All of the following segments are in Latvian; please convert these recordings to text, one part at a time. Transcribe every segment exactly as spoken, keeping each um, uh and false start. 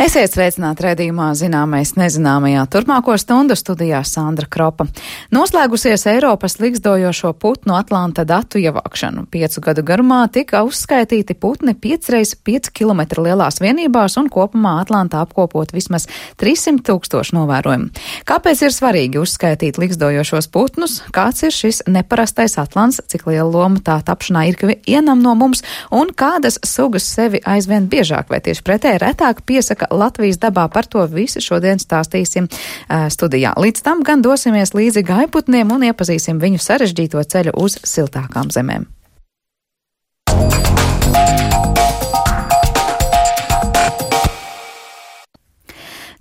Esiet sveicināti raidījumā Zināmais nezināmajā. Turpmāko stundu studijā Sandra Kropa. Noslēgusies Eiropas ligzdojošo putnu Atlanta datu ievākšanu. Piecu gadu garumā tika uzskaitīti putni piecreiz pieci kilometri lielās vienībās un kopumā Atlantā apkopot vismaz trīssimt tūkstoši novērojumu. Kāpēc ir svarīgi uzskaitīt ligzdojošos putnus? Kāds ir šis neparastais Atlants? Cik liela loma tā tapšanā ir vienam no mums? Un kādas sugas sevi aizvien biežāk vai tieši pretēji retāk piesaka Latvijas dabā? Par to visu šodien stāstīsim uh, studijā. Līdz tam gan dosimies līdzi gaiputniem un iepazīsim viņu sarežģīto ceļu uz siltākām zemēm.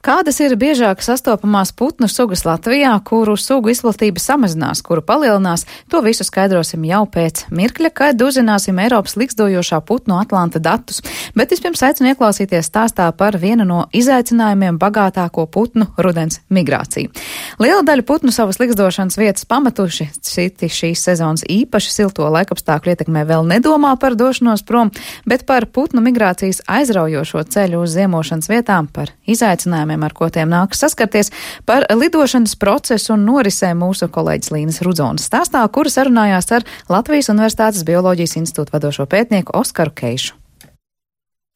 Kādas ir biežāk sastopamās putnu sugas Latvijā, kuru sugu izplatība samazinās, kuru palielinās? To visu skaidrosim jau pēc mirkļa, kad uzzināsim Eiropas ligzdojošā putnu Atlanta datus. Bet vispirms aicinu ieklausīties stāstā par vienu no izaicinājumiem bagātāko putnu rudens migrāciju. Liela daļa putnu savas ligzdošanas vietas pametuši, citi šīs sezonas īpaši silto laikapstākļu ietekmē vēl nedomā par došanos prom, bet par putnu migrācijas aizraujošo ceļu uz ziemošanas vietām, par izaicinājumiem, ar ko tiem nākas saskarties, par lidošanas procesu un norisē mūsu kolēģis Līnas Rudzonas stāstā, kura sarunājās ar Latvijas Universitātes Bioloģijas institūta vadošo pētnieku Oskaru Keišu.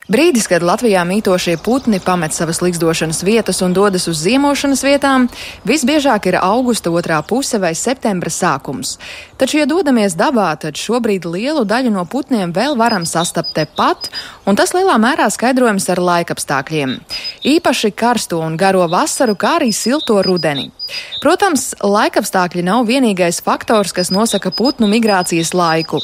Brīdis, kad Latvijā mītošie putni pamet savas ligzdošanas vietas un dodas uz ziemošanas vietām, visbiežāk ir augusta otrā puse vai septembra sākums. Taču, ja dodamies dabā, tad šobrīd lielu daļu no putniem vēl varam sastapt tepat, un tas lielā mērā skaidrojams ar laikapstākļiem. Īpaši karsto un garo vasaru, kā arī silto rudeni. Protams, laikapstākļi nav vienīgais faktors, kas nosaka putnu migrācijas laiku.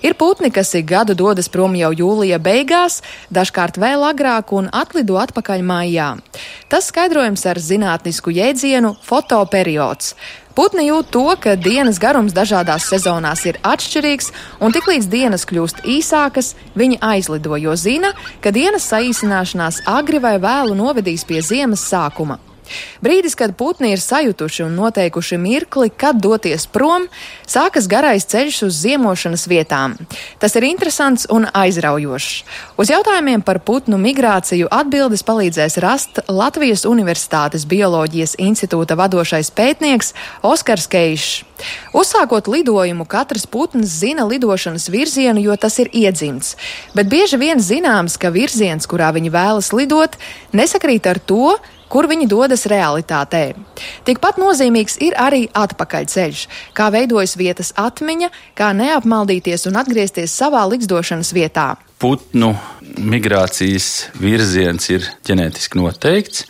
Ir putni, kas ik gadu dodas prom jau jūlija beigās, dažkārt vēl agrāk un atlido atpakaļ maijā. Tas skaidrojams ar zinātnisku jēdzienu fotoperiods. Putni jūt to, ka dienas garums dažādās sezonās ir atšķirīgs, un tiklīdz dienas kļūst īsākas, viņi aizlido, jo zina, ka dienas saīsināšanās agri vai vēlu novedīs pie ziemas sākuma. Brīdis, kad putni ir sajutuši un noteikuši mirkli, kad doties prom, sākas garais ceļš uz ziemošanas vietām. Tas ir interesants un aizraujošs. Uz jautājumiem par putnu migrāciju atbildes palīdzēs rast Latvijas Universitātes Bioloģijas institūta vadošais pētnieks Oskars Keišs. Uzsākot lidojumu, katrs putns zina lidošanas virzienu, jo tas ir iedzimts. Bet bieži vien zināms, ka virziens, kurā viņi vēlas lidot, nesakrīt ar to, kur viņi dodas realitātē. Tikpat nozīmīgs ir arī atpakaļceļš, kā veidojas vietas atmiņa, kā neapmaldīties un atgriezties savā ligzdošanas vietā. Putnu migrācijas virziens ir ģenētiski noteikts,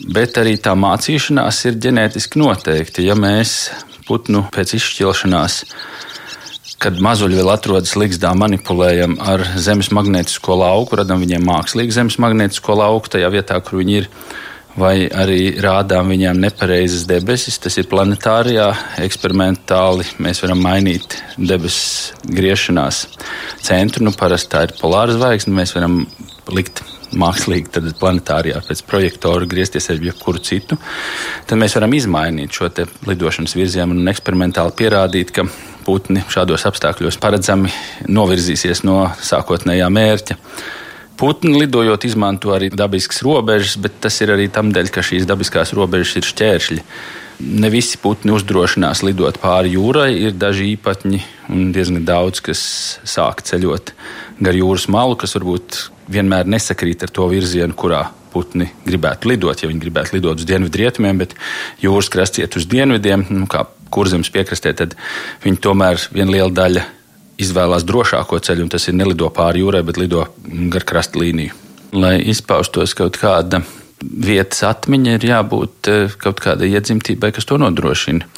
bet arī tā mācīšanās ir ģenētiski noteikta. Ja mēs putnu pēc izšķilšanās, kad mazuļi vēl atrodas ligzdā, manipulējam ar zemes magnētisko lauku, radam viņiem mākslīgu zemes magnētisko lauku tajā vietā, kur viņi ir, vai arī rādām viņiem nepareizes debesis, tas ir planetārijā, eksperimentāli mēs varam mainīt debesis griešanās centru, nu parasti tā ir polāra zvaigzne, mēs varam likt mākslīgi tad planetārijā pēc projektora griezties ar jebkuru citu, tad mēs varam izmainīt šo te lidošanas virzienu un eksperimentāli pierādīt, ka putni šādos apstākļos paredzami novirzīsies no sākotnējā mērķa. Putni lidojot izmanto arī dabiskas robežas, bet tas ir arī tam dēļ, ka šīs dabiskās robežas ir šķēršļi. Ne visi putni uzdrošinās lidot pāri jūrai, ir daži īpatņi un diezgan daudz, kas sāk ceļot gar jūras malu, kas varbūt vienmēr nesakrīt ar to virzienu, kurā putni gribētu lidot. Ja viņi gribētu lidot uz dienvidrietumiem, bet jūras krasts iet uz dienvidiem, nu, kā Kurzemes piekrastē, tad viņi tomēr viena liela daļa izvēlās drošāko ceļu, un tas ir nelido pāri jūrai, bet lido gar krasta līniju. Lai izpaustos kaut kāda vietas atmiņa, ir jābūt kaut kādai iedzimtībai, kas to nodrošina.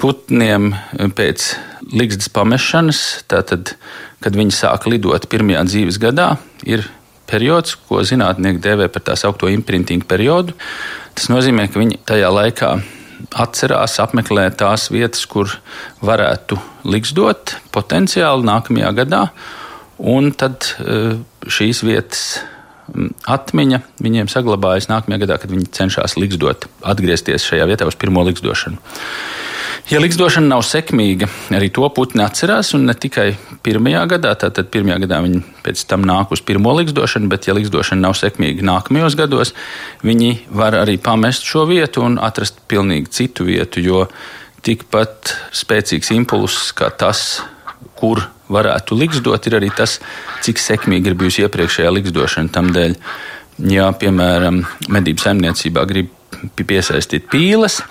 Putniem pēc ligzdas pamešanas, tātad, kad viņi sāk lidot pirmajā dzīves gadā, ir periods, ko zinātnieki dēvē par tā saukto imprinting periodu. Tas nozīmē, ka viņi tajā laikā atcerās, apmeklē tās vietas, kur varētu ligzdot potenciāli nākamajā gadā, un tad šīs vietas atmiņa viņiem saglabājas nākamajā gadā, kad viņi cenšas ligzdot, atgriezties šajā vietā uz pirmo ligzdošanu. Ja liksdošana nav sekmīga, arī to putni atcerās, un ne tikai pirmajā gadā, tātad pirmajā gadā viņi pēc tam nāk uz pirmo liksdošanu, bet ja liksdošana nav sekmīga nākamajos gados, viņi var arī pamest šo vietu un atrast pilnīgi citu vietu, jo tikpat spēcīgs impulss kā tas, kur varētu liksdot, ir arī tas, cik sekmīgi ir bijusi iepriekšējā liksdošana. Tamdēļ, ja, piemēram, medību saimniecībā grib piesaistīt pīles,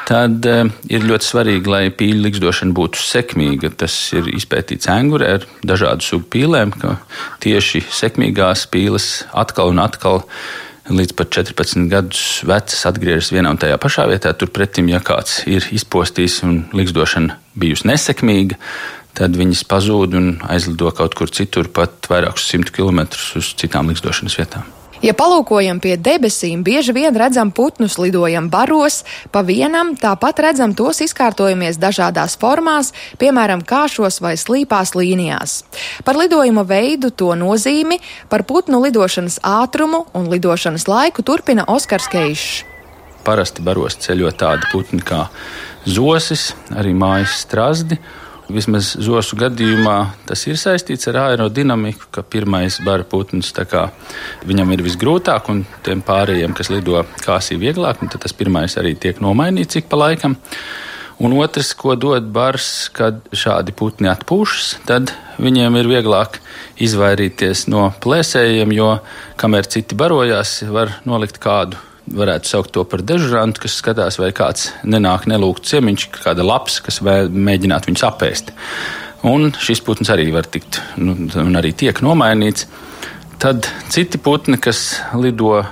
tad uh, ir ļoti svarīgi, lai pīļu liksdošana būtu sekmīga. Tas ir izpētīts Angurē ar dažādu sugu pīlēm, ka tieši sekmīgās pīles atkal un atkal līdz pat četrpadsmit gadus vecas atgriežas vienā un tajā pašā vietā. Turpretim, ja kāds ir izpostījis un liksdošana bijusi nesekmīga, tad viņas pazūd un aizlido kaut kur citur, pat vairākus simtu kilometrus uz citām liksdošanas vietām. Ja palūkojam pie debesīm, bieži vien redzam putnus lidojam baros, pa vienam, tāpat redzam tos izkārtojamies dažādās formās, piemēram, kāšos vai slīpās līnijās. Par lidojuma veidu, to nozīmi, par putnu lidošanas ātrumu un lidošanas laiku turpina Oskars Keišs. Parasti baros ceļo tādi putni kā zosis, arī mājas strazdi. Vismaz zosu gadījumā tas ir saistīts ar aerodinamiku, ka pirmais bara putns, tā kā viņam ir visgrūtāk, un tiem pārējiem, kas lido kāsī vieglāk, tad tas pirmais arī tiek nomainīts ik pa laikam. Un otrs, ko dod bars, kad šādi putni atpūšas, tad viņiem ir vieglāk izvairīties no plēsējiem, jo kamēr citi barojās, var nolikt kādu. Varētu saukt to par dežurantu, kas skatās, vai kāds nenāk nelūgt ciemiņš, kāda laps, kas mēģinātu viņus apēst. Un šis putns arī var tikt, nu, un arī tiek nomainīts. Tad citi putni, kas lido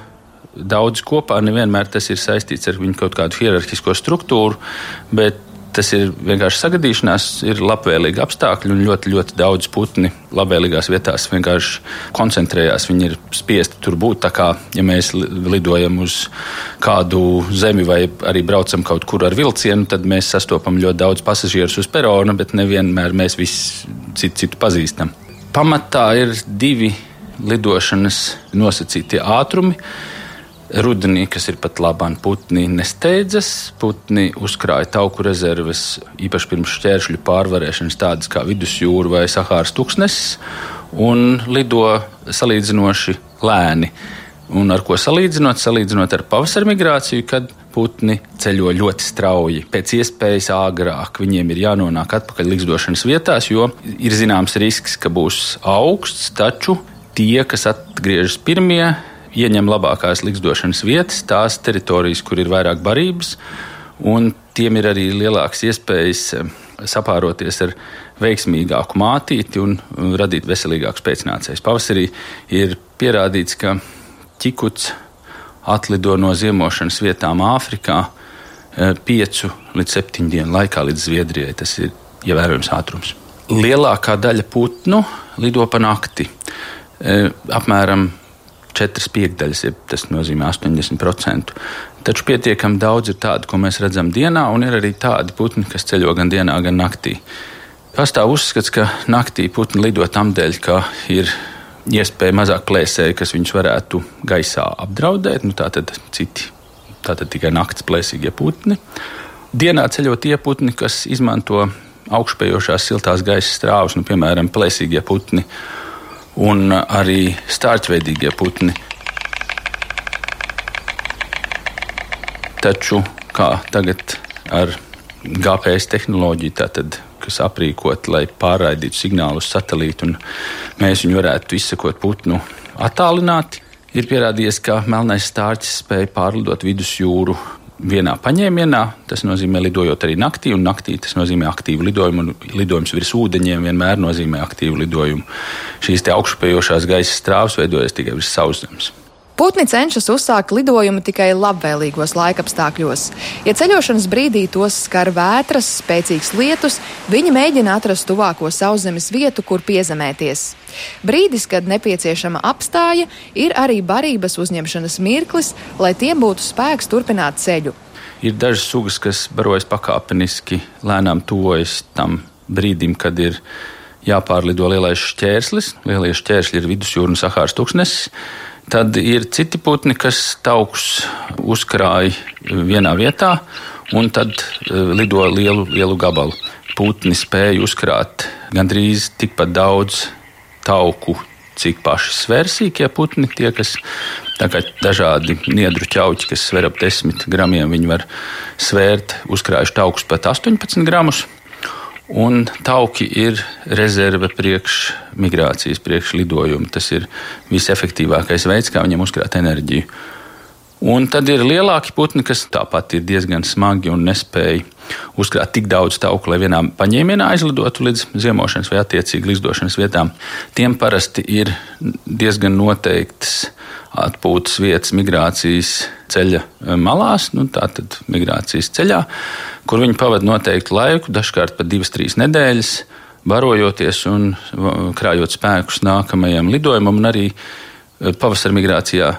daudz kopā, nevienmēr tas ir saistīts ar viņu kaut kādu hierarhisko struktūru, bet tas ir vienkārši sagadīšanās, ir labvēlīgi apstākļi un ļoti, ļoti daudz putni labvēlīgās vietās vienkārši koncentrējās. Viņi ir spiesti tur būt, tā kā, ja mēs lidojam uz kādu zemi vai arī braucam kaut kur ar vilcienu, tad mēs sastopam ļoti daudz pasažierus uz perona, bet nevienmēr mēs visi citu, citu pazīstam. Pamatā ir divi lidošanas nosacītie ātrumi. Rudenī, kas ir pat labāk, putni nesteidzas, putni uzkrāja tauku rezerves, īpaši pirms šķēršļu pārvarēšanas, tādas kā vidusjūra vai Sahāras tūkstnesis, un lido salīdzinoši lēni. Un ar ko salīdzinot? Salīdzinot ar pavasara migrāciju, kad putni ceļo ļoti strauji, pēc iespējas āgrāk. Viņiem ir jānonāk atpakaļ liksdošanas vietās, jo ir zināms risks, ka būs augsts, taču tie, kas atgriežas pirmie, ieņem labākās liksdošanas vietas, tās teritorijas, kur ir vairāk barības, un tiem ir arī lielākas iespējas sapāroties ar veiksmīgāku mātīti un radīt veselīgākus pēcnācējus. Pavasarī ir pierādīts, ka ķikuts atlido no ziemošanas vietām Āfrikā piecu līdz septiņu dienu laikā līdz Zviedrijai. Tas ir ievērojams ātrums. Lielākā daļa putnu lido pa nakti. Apmēram četras piekdaļas, tas nozīmē astoņdesmit procenti. Taču pietiekami daudz ir tādu, ko mēs redzam dienā, un ir arī tādi putni, kas ceļo gan dienā, gan naktī. Pastāv uzskats, ka naktī putni lido tamdēļ, ka ir iespēja mazāk plēsēji, kas viņus varētu gaisā apdraudēt. Nu, tātad citi, tātad tikai nakts plēsīgie putni. Dienā ceļo tie putni, kas izmanto augšpējošās siltās gaisa strāvas, nu, piemēram, plēsīgie putni un arī stārķveidīgie putni. Taču, kā tagad ar G P S tehnoloģiju, tātad, kas aprīkot, lai pārraidītu signālu uz satelītu, un mēs viņu varētu izsekot putnu attālināti, ir pierādījies, ka melnais stārķis spēja pārlidot vidusjūru vienā paņēmienā. Tas nozīmē lidojot arī naktī, un naktī tas nozīmē aktīvu lidojumu, un lidojums virs ūdeņiem vienmēr nozīmē aktīvu lidojumu. Šīs te augšupējošās gaisa strāvas veidojas tikai virs sauszemes. Putni cenšas uzsākt lidojumu tikai labvēlīgos laikapstākļos. Ja ceļošanas brīdī tos skar vētras, spēcīgs lietus, viņi mēģina atrast tuvāko sauszemes vietu, kur piezemēties. Brīdis, kad nepieciešama apstāja, ir arī barības uzņemšanas mirklis, lai tiem būtu spēks turpināt ceļu. Ir dažas sugas, kas barojas pakāpeniski, lēnām tuvojas tam brīdim, kad ir jāpārlido lielais šķērslis. Lielie šķēršļi ir vidusjūra un Sahāras tūkstnesis. Tad ir citi putni, kas taukus uzkrāja vienā vietā un tad uh, lido lielu, lielu gabalu. Putni spēja uzkrāt gandrīz tikpat daudz tauku, cik paši svērsīkie putni, tie, kas tā kā dažādi niedru ķauķi, kas sver ap desmit gramiem, viņi var svērt, uzkrājuši taukus pat astoņpadsmit gramus. Un tauki ir rezerve priekš migrācijas, priekš lidojuma. Tas ir visefektīvākais veids, kā viņiem uzkrāt enerģiju. Un tad ir lielāki putni, kas tāpat ir diezgan smagi un nespēja uzkrāt tik daudz tauku, lai vienā paņēmienā aizlidotu līdz ziemošanas vai attiecīgi ligzdošanas vietām. Tiem parasti ir diezgan noteiktas atpūtas vietas migrācijas ceļa malās, nu tātad migrācijas ceļā, kur viņi pavada noteiktu laiku, dažkārt pat divas, trīs nedēļas, barojoties un krājot spēkus nākamajam lidojumam un arī pavasara migrācijā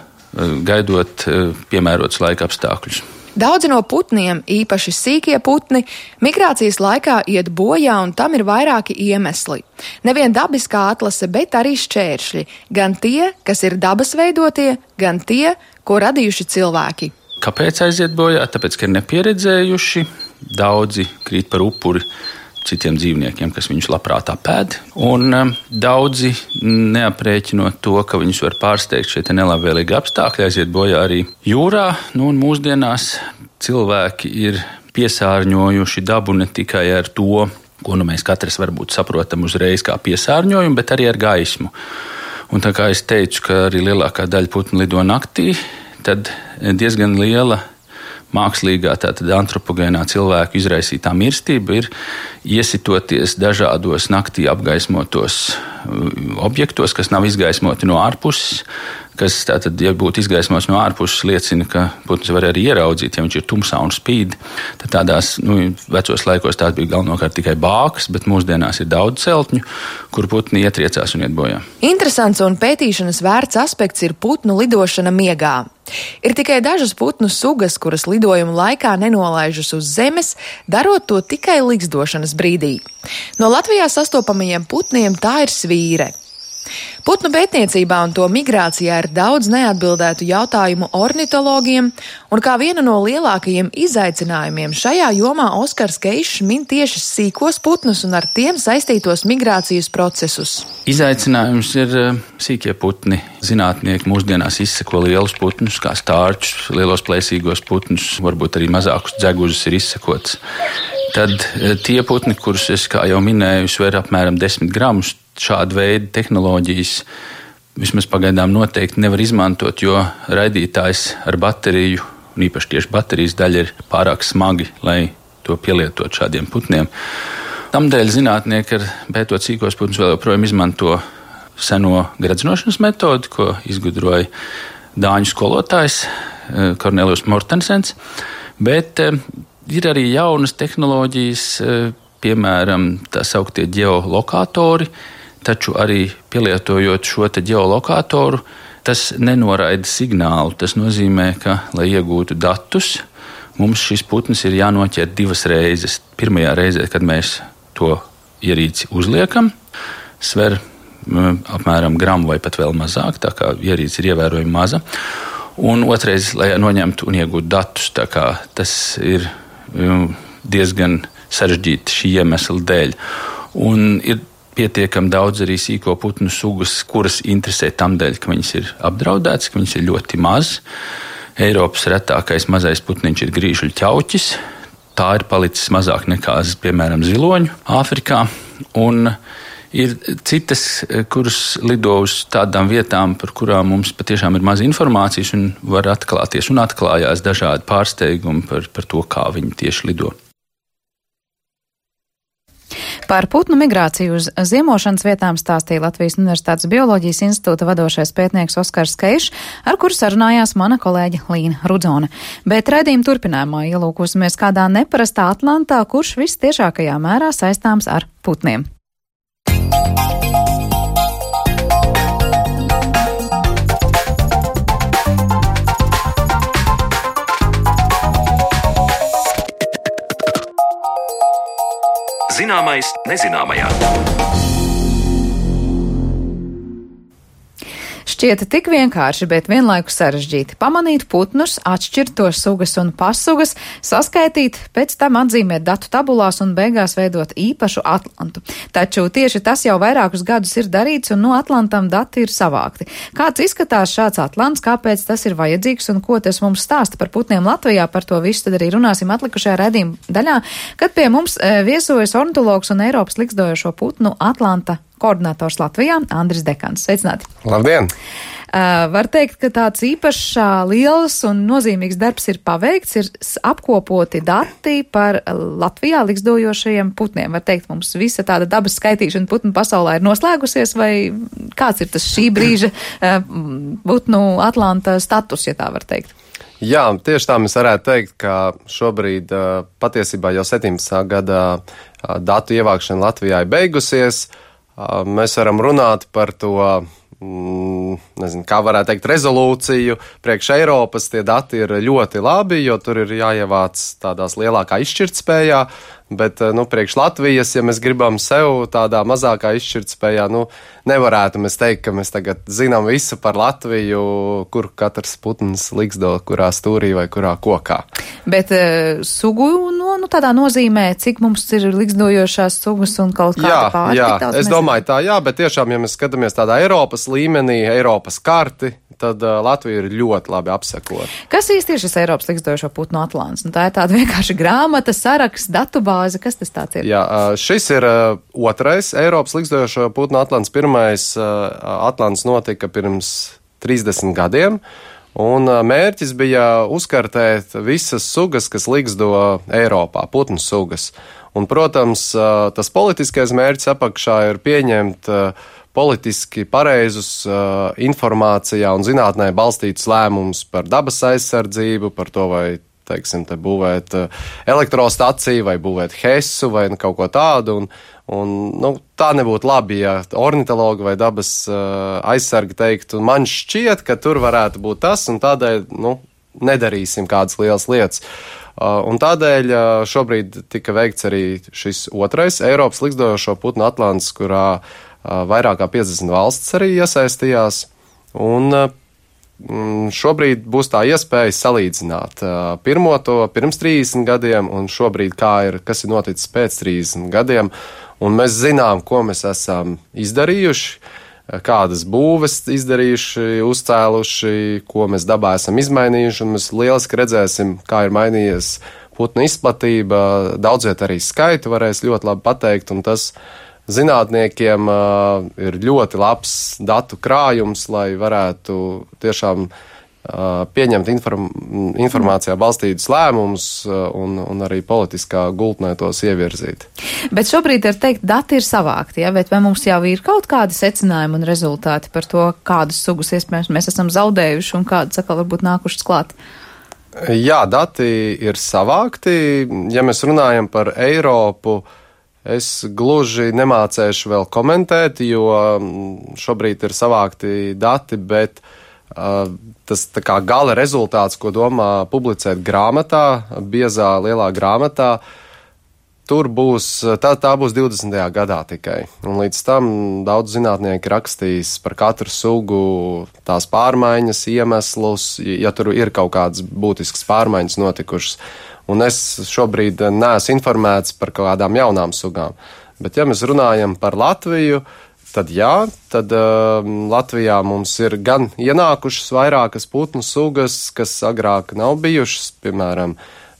gaidot piemērotus laika apstākļus. Daudzi no putniem, īpaši sīkie putni, migrācijas laikā iet bojā, un tam ir vairāki iemesli. Nevien dabiskā atlase, bet arī šķēršļi. Gan tie, kas ir dabas veidotie, gan tie, ko radījuši cilvēki. Kāpēc aiziet bojā? Tāpēc, ka ir nepieredzējuši, daudzi krīt par upuri citiem dzīvniekiem, kas viņus labprāt apēd, un um, daudzi neaprēķinot to, ka viņus var pārsteigt šie nelabvēlīgi apstākļi, aiziet bojā arī jūrā. Nu, un mūsdienās cilvēki ir piesārņojuši dabu ne tikai ar to, ko nu mēs katrs varbūt saprotam uzreiz kā piesārņojumu, bet arī ar gaismu. Un tā kā es teicu, ka arī lielākā daļa putnu lido naktī, tad diezgan liela mākslīgā, tātad antropogēnā cilvēku izraisītā mirstība ir iesitoties dažādos naktī apgaismotos objektos, kas nav izgaismoti no ārpuses, kas tātad, ja būtu izgaismots no ārpuses, liecina, ka putns var arī ieraudzīt, ja viņš ir tumsā un spīd. Tad tādās, nu, vecos laikos tās bija galvenokārt tikai bākas, bet mūsdienās ir daudz celtņu, kur putni ietriecās un iet bojā. Interesants un pētīšanas vērts aspekts ir putnu lidošana miegā. Ir tikai dažas putnu sugas, kuras lidojuma laikā nenolaižas uz zemes, darot to tikai ligzdošanas brīdī. No Latvijā sastopamajiem putniem tā ir svīre. Putnu pētniecībā un to migrācijā ir daudz neatbildētu jautājumu ornitologiem, un kā vienu no lielākajiem izaicinājumiem šajā jomā Oskars Keišs min tieši sīkos putnus un ar tiem saistītos migrācijas procesus. Izaicinājums ir sīkie putni. Zinātnieki mūsdienās izseko lielus putnus, kā stārķus, lielos plēsīgos putnus, varbūt arī mazākus dzegužus ir izsekots. Tad tie putni, kurus es, kā jau minēju, sver apmēram desmit gramus, šāda veida tehnoloģijas vismaz pagaidām noteikti nevar izmantot, jo raidītājs ar bateriju, un īpaši tieši baterijas daļa, ir pārāk smagi, lai to pielietot šādiem putniem. Tamdēļ zinātnieki, ar pētot sīkos putnus, vēl joprojām izmanto seno gradzinošanas metodi, ko izgudroja dāņu skolotājs Kornelijus Mortensens, bet ir arī jaunas tehnoloģijas, piemēram, tā sauktie ģeolokātori, taču arī pielietojot šo te ģeolokātoru, tas nenoraida signālu. Tas nozīmē, ka, lai iegūtu datus, mums šis putns ir jānoķer divas reizes. Pirmajā reizē, kad mēs to ierīci uzliekam, sver apmēram gramu vai pat vēl mazāk, tā kā ierīce ir ievērojami maza. Un otrais, lai noņemtu un iegūtu datus, tā kā tas ir diezgan sarežģīti šī iemesla dēļ. Un ir pietiekami daudz arī sīko putnu sugas, kuras interesē tam dēļ, ka viņas ir apdraudētas, ka viņas ir ļoti maz. Eiropas retākais mazais putniņš ir grīžuļu ķauķis. Tā ir palicis mazāk nekā, piemēram, ziloņu Āfrikā. Un ir citas, kuras lido uz tādām vietām, par kurām mums patiešām ir maz informācijas un var atklāties un atklājās dažādi pārsteigumi par, par to, kā viņi tieši lido. Par putnu migrāciju uz ziemošanas vietām stāstīja Latvijas Universitātes Bioloģijas institūta vadošais pētnieks Oskars Keišs, ar kuru sarunājās mana kolēģe Līna Rudzone. Bet raidījuma turpinājumā ielūkosimies kādā neparastā Atlantā, kurš vistiešākajā mērā saistāms ar putniem. Zināmais nezināmajā. Šķieta tik vienkārši, bet vienlaikus sarežģīti pamanīt putnus, atšķirt tos sugas un passugas, saskaitīt, pēc tam atzīmēt datu tabulās un beigās veidot īpašu atlantu. Taču tieši tas jau vairākus gadus ir darīts un no atlantam dati ir savākti. Kāds izskatās šāds atlants, kāpēc tas ir vajadzīgs un ko tas mums stāsta par putniem Latvijā, par to visu tad arī runāsim atlikušajā raidījuma daļā, kad pie mums viesojas ornitologs un Eiropas likstojošo putnu atlanta koordinators Latvijā Andris Dekans. Sveicināti! Labdien! Uh, var teikt, ka tāds īpašs liels un nozīmīgs darbs ir paveikts, ir apkopoti dati par Latvijā likstojošajiem putniem. Var teikt, mums visa tāda dabas skaitīšana putnu pasaulē ir noslēgusies, vai kāds ir tas šī brīža uh, putnu atlanta status, ja tā var teikt? Jā, tieši tā mēs varētu teikt, ka šobrīd uh, patiesībā jau septiņpadsmitā gadā uh, datu ievākšana Latvijā ir beigusies. Uh, mēs varam runāt par to, mm, nezinu, kā varētu teikt, rezolūciju. Priekš Eiropas tie dati ir ļoti labi, jo tur ir jāievāc tādās lielākā izšķirtspējā, bet, nu, priekš Latvijas, ja mēs gribam sev tādā mazākā izšķirtspējā, nu, nevarētu mēs teikt, ka mēs tagad zinām visu par Latviju, kur katrs putns liksto, kurā stūrī vai kurā kokā. Bet uh, sugu, no, nu, tādā nozīmē, cik mums ir likstojošās sugas un kaut kāda pārtika? Jā, jā, es domāju tā, jā, bet tiešām, ja mēs skatāmies tādā Eiropas līmenī, Eiropas karti, tad uh, Latvija ir ļoti labi apsekota. Kas īsti ir šis Eiropas likstojošo putnu atlants? Nu, tā ir tāda vienkārši grāmata, saraksts, datubāze. Kas tas tāds ir? Jā, šis ir uh, otrais Eiropas likstojošo putnu atlants. Pirmais uh, atlants notika pirms trīsdesmit gadiem, un uh, mērķis bija uzkartēt visas sugas, kas liksto Eiropā, putnu sugas. Un, protams, uh, tas politiskais mērķis apakšā ir pieņemt uh, politiski pareizus uh, informācijā un zinātnē balstītus lēmumus par dabas aizsardzību, par to, vai, teiksim, te būvēt uh, elektrostaciju vai būvēt hesu vai nu, kaut ko tādu. Un, un, nu, tā nebūtu labi, ja ornitologi vai dabas uh, aizsargi teiktu, man šķiet, ka tur varētu būt tas, un tādēļ, nu, nedarīsim kādas lielas lietas. Uh, un tādēļ uh, šobrīd tika veikts arī šis otrais Eiropas likstojošo putnu atlants, kurā vairāk kā piecdesmit valstis arī iesaistījās, un šobrīd būs tā iespēja salīdzināt pirmo to pirms trīsdesmit gadiem un šobrīd kā ir, kas ir noticis pēc trīsdesmit gadiem, un mēs zinām, ko mēs esam izdarījuši, kādas būves izdarījuši, uzcēluši, ko mēs dabā esam izmainījuši, un mēs lieliski redzēsim, kā ir mainījies putnu izplatība, daudziet arī skaitu varēs ļoti labi pateikt, un tas zinātniekiem uh, ir ļoti labs datu krājums, lai varētu tiešām uh, pieņemt inform informācijā balstītus lēmumus uh, un, un arī politiskā gultnē tos ievirzīt. Bet šobrīd ir teikt, dati ir savākti, ja? Bet vai mums jau ir kaut kādi secinājumi un rezultāti par to, kādas sugas iespējams mēs esam zaudējuši un kādas atkal varbūt nākušas klāt? Jā, dati ir savākti. Ja mēs runājam par Eiropu, es gluži nemācēšu vēl komentēt, jo šobrīd ir savākti dati, bet uh, tas tā kā gala rezultāts, ko domā publicēt grāmatā, biezā lielā grāmatā, tur būs, tā, tā būs divdesmitajā gadā tikai. Un līdz tam daudz zinātnieki rakstīs par katru sugu tās pārmaiņas, iemeslus, ja tur ir kaut kādas būtiskas pārmaiņas notikušas. Un es šobrīd neesmu informēts par kādām jaunām sugām. Bet ja mēs runājam par Latviju, tad jā, tad uh, Latvijā mums ir gan ienākušas vairākas putnu sugas, kas agrāk nav bijušas, piemēram,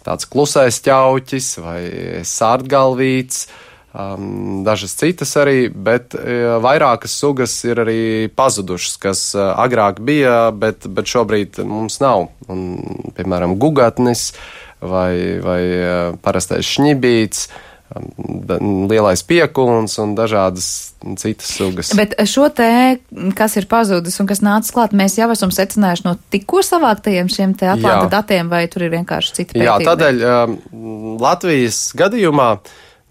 tāds klusais ķauķis vai sārtgalvīts, um, dažas citas arī, bet uh, vairākas sugas ir arī pazudušas, kas uh, agrāk bija, bet, bet šobrīd mums nav. Un, piemēram, gugatnis, vai, vai parastais šņibīts, lielais piekuns un dažādas citas sugas. Bet šo te, kas ir pazudis un kas nācis klāt, mēs jau esam secinājuši no tikko savāktajiem šiem te atlanta Jā. datiem, vai tur ir vienkārši citi pētījumi? Jā, tādēļ um, Latvijas gadījumā,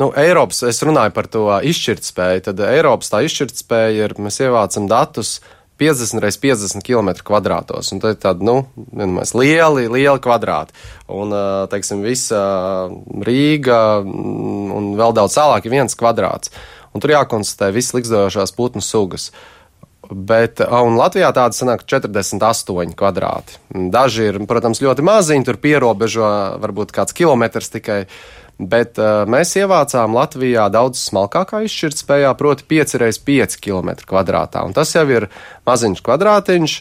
nu, Eiropas, es runāju par to izšķirtspēju, tad Eiropas tā izšķirtspēja ir, mēs ievācam datus piecdesmit reiz piecdesmit kilometru kvadrātos, un tad tādi, nu, vienmēr lieli, lieli kvadrāti. Un, teiksim, visa Rīga un vēl daudz tālāk ir viens kvadrāts. Un tur jākonstatē visas likstojošās putnu sugas. Bet, un Latvijā tāda sanāk četrdesmit astoņi kvadrāti. Daži ir, protams, ļoti maziņi, tur pierobežo varbūt kāds kilometrs tikai, bet uh, mēs ievācām Latvijā daudz smalkākā izšķirtspējā, proti pieci reiz pieci kilometri kvadrātā. Un tas jau ir maziņš kvadrātiņš,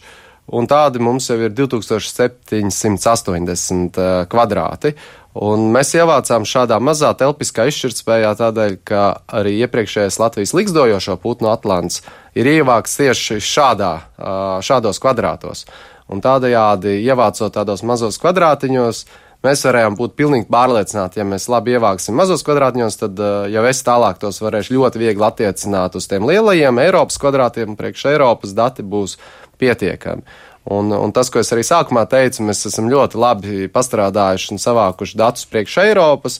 un tādi mums jau ir divtūkstoši septiņsimt astoņdesmit uh, kvadrāti. Un mēs ievācām šādā mazā telpiskā izšķirtspējā tādēļ, ka arī iepriekšējais Latvijas ligzdojošo putnu atlants ir ievākts tieši šādā, šādos kvadrātos. Un tādējādi, ievācot tādos mazos kvadrātiņos, mēs varējām būt pilnīgi pārliecināti, ja mēs labi ievāksim mazos kvadrātiņos, tad jau es tālāk tos varēšu ļoti viegli attiecināt uz tiem lielajiem Eiropas kvadrātiem, priekš Eiropas dati būs pietiekami. Un, un tas, ko es arī sākumā teicu, mēs esam ļoti labi pastrādājuši un savākuši datus priekš Eiropas,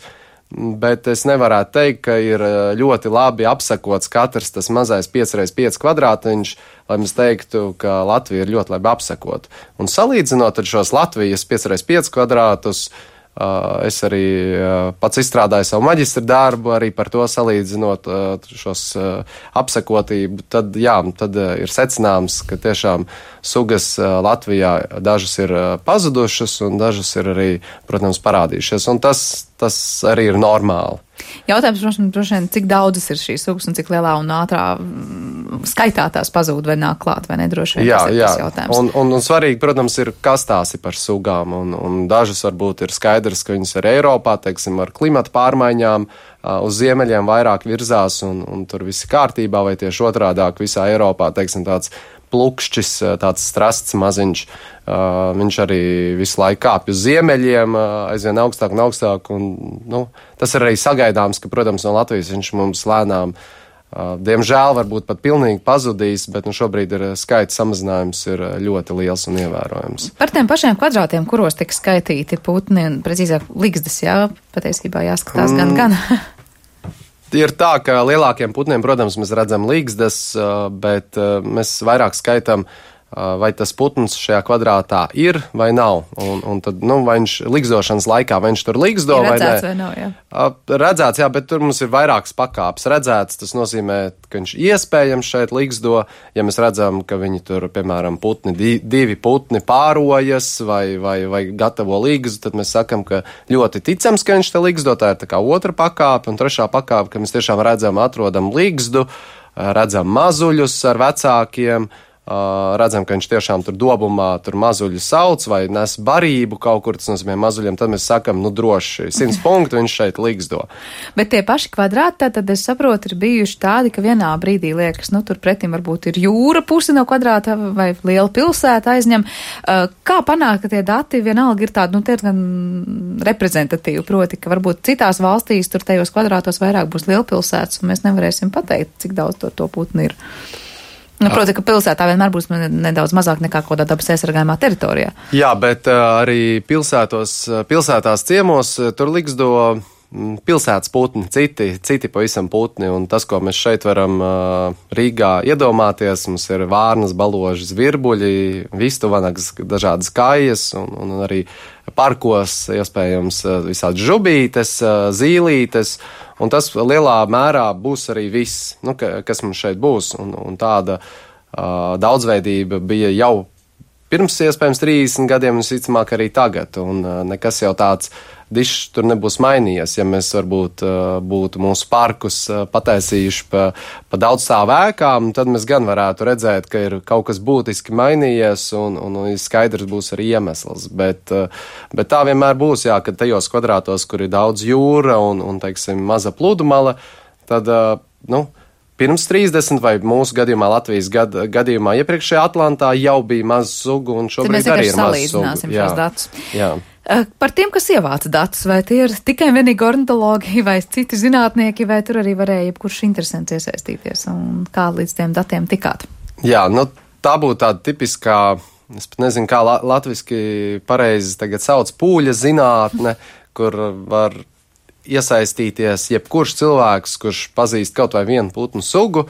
bet es nevarētu teikt, ka ir ļoti labi apsakots katrs tas mazais pieci reiz pieci kvadrātiņš, lai mēs teiktu, ka Latvija ir ļoti labi apsakot. Un salīdzinot ar šos Latvijas pieci reiz pieci kvadrātus, es arī pats izstrādāju savu maģistra darbu, arī par to salīdzinot šos apsakotību, tad jā, tad ir secināms, ka tiešām sugas Latvijā dažas ir pazudušas un dažas ir arī, protams, parādījušies, un tas, tas arī ir normāli. Jautājums, protams, droši vien, cik daudzas ir šīs sugas un cik lielā un ātrā skaitā tās pazūd vai nāk klāt, vai nedroši vien jā, tas ir jā. tas jautājums. Un, un, un svarīgi, protams, ir, kas tās ir par sugām, un, un dažas varbūt ir skaidrs, ka viņas ir Eiropā, teiksim, ar klimata pārmaiņām, uz ziemeļiem vairāk virzās, un, un tur viss ir kārtībā, vai tieši otrādāk visā Eiropā, teiksim, tāds plukšķis, tāds strasts maziņš, uh, viņš arī visu laiku kāpj uz ziemeļiem, uh, aizvien augstāk un augstāk, un, nu, tas ir arī sagaidāms, ka, protams, no Latvijas viņš mums lēnām, uh, diemžēl, varbūt pat pilnīgi pazudīs, bet, nu, šobrīd ir skaita samazinājums ir ļoti liels un ievērojams. Par tiem pašiem kvadrātiem, kuros tika skaitīti putni, un precīzāk ligzdas, jā, patiesībā jāskatās mm. gan, gan. Ir tā, ka lielākiem putniem, protams, mēs redzam ligzdas, bet mēs vairāk skaitām, vai tas putns šajā kvadrātā ir vai nav. Un, un tad, nu, vai viņš ligzdošanas laikā, vai viņš tur ligzdo vai nē. Redzēts vai nav, jā. Redzēts, jā, bet tur mums ir vairākas pakāpes. Redzēts, tas nozīmē, ka viņš iespējams šeit ligzdo. Ja mēs redzam, ka viņi tur, piemēram, putni, divi putni pārojas vai, vai, vai gatavo ligzu, tad mēs sakam, ka ļoti ticams, ka viņš te ligzdo. Tā ir tā kā otra pakāpe un trešā pakāpe, ka mēs tiešām redzam, atrodam ligzdu, redzam mazuļus ar vecākiem, Uh, redzam, ka viņš tiešām tur dobumā tur mazuļu sauc vai nes barību kaut kur, tas nozīmē mazuļiem, tad mēs sakam, nu droši, simts punktu viņš šeit ligzdo. Bet tie paši kvadrāti, tad es saprotu, ir bijuši tādi, ka vienā brīdī liekas, nu tur pretim varbūt ir jūra pusi no kvadrāta vai liela pilsēta aizņem. Uh, kā panākt, ka tie dati vienalga ir tādi, nu tie ir gan reprezentatīvi, proti, ka varbūt citās valstīs tur tajos kvadrātos vairāk būs lielpilsētas un mēs nevarēsim pateikt, cik daudz to, to putni ir. Nu, proti, ka pilsētā vienmēr būs nedaudz mazāk nekā kādā dabas aizsargājumā teritorijā. Jā, bet uh, arī pilsētos, pilsētās ciemos tur ligzdo pilsētas putni, citi, citi pavisam putni, un tas, ko mēs šeit varam uh, Rīgā iedomāties, mums ir vārnas, baloži, zvirbuļi, vistuvanagas, dažādas kājas, un, un arī parkos iespējams visādi žubītes, zīlītes, un tas lielā mērā būs arī viss, nu, ka, kas mums šeit būs, un, un tāda uh, daudzveidība bija jau pirms iespējams trīsdesmit gadiem, un visticamāk arī tagad, un uh, nekas jau tāds dišs tur nebūs mainījies, ja mēs varbūt uh, būtu mūsu parkus uh, pataisījuši pa, pa daudz stāvu ēkām, tad mēs gan varētu redzēt, ka ir kaut kas būtiski mainījies, un, un, un skaidrs būs arī iemesls, bet, uh, bet tā vienmēr būs, jā, ka tajos kvadrātos, kur ir daudz jūra un, un teiksim, maza pludumala, tad, uh, nu, pirms trīsdesmit vai mūsu gadījumā Latvijas gad, gadījumā iepriekšējā Atlantā jau bija maz sugu, un šobrīd arī ir maz sugu. Jā, šos datus. Jā. Par tiem, kas ievāca datus, vai tie ir tikai vienīgi ornitologi vai citi zinātnieki, vai tur arī varēja jebkurš interesants iesaistīties, un kā līdz tiem datiem tikāt? Jā, nu tā būtu tāda tipiskā, es pat nezinu, kā la, latviski pareizi tagad sauc, pūļa zinātne, kur var iesaistīties jebkurš cilvēks, kurš pazīst kaut vai vienu putnu sugu,